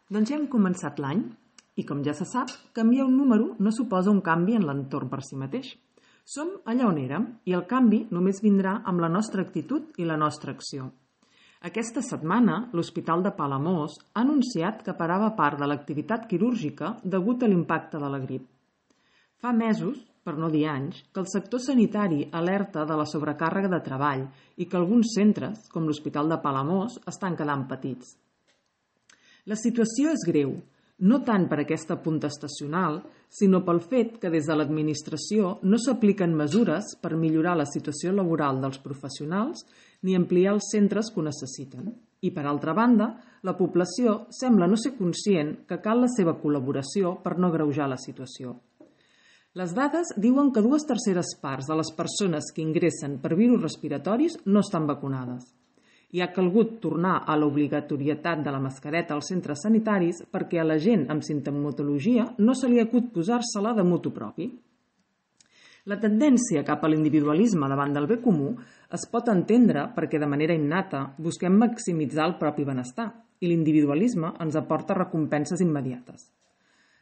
Doncs ja hem començat l'any i, com ja se sap, canviar un número no suposa un canvi en l'entorn per si mateix. Som allà on érem i el canvi només vindrà amb la nostra actitud i la nostra acció. Aquesta setmana, l'Hospital de Palamós ha anunciat que parava part de l'activitat quirúrgica degut a l'impacte de la grip. Fa mesos, per no dir anys, que el sector sanitari alerta de la sobrecàrrega de treball i que alguns centres, com l'Hospital de Palamós, estan quedant petits. La situació és greu, no tant per aquesta punta estacional, sinó pel fet que des de l'administració no s'apliquen mesures per millorar la situació laboral dels professionals ni ampliar els centres que ho necessiten. I, per altra banda, la població sembla no ser conscient que cal la seva col·laboració per no agreujar la situació. Les dades diuen que 2/3 parts de les persones que ingressen per virus respiratoris no estan vacunades. I ha calgut tornar a l'obligatorietat de la mascareta als centres sanitaris perquè a la gent amb simptomatologia no se li acut posar-se-la de motu propi. La tendència cap a l'individualisme davant del bé comú es pot entendre perquè de manera innata busquem maximitzar el propi benestar i l'individualisme ens aporta recompenses immediates.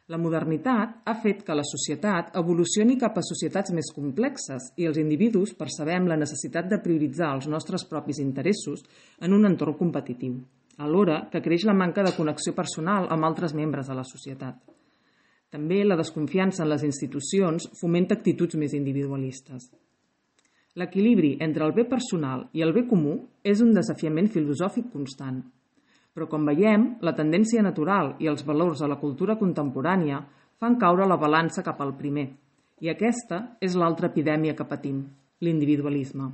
La modernitat ha fet que la societat evolucioni cap a societats més complexes i els individus percebem la necessitat de prioritzar els nostres propis interessos en un entorn competitiu, alhora que creix la manca de connexió personal amb altres membres de la societat. També la desconfiança en les institucions fomenta actituds més individualistes. L'equilibri entre el bé personal i el bé comú és un desafiament filosòfic constant. Però, com veiem, la tendència natural i els valors de la cultura contemporània fan caure la balança cap al primer. I aquesta és l'altra epidèmia que patim, l'individualisme.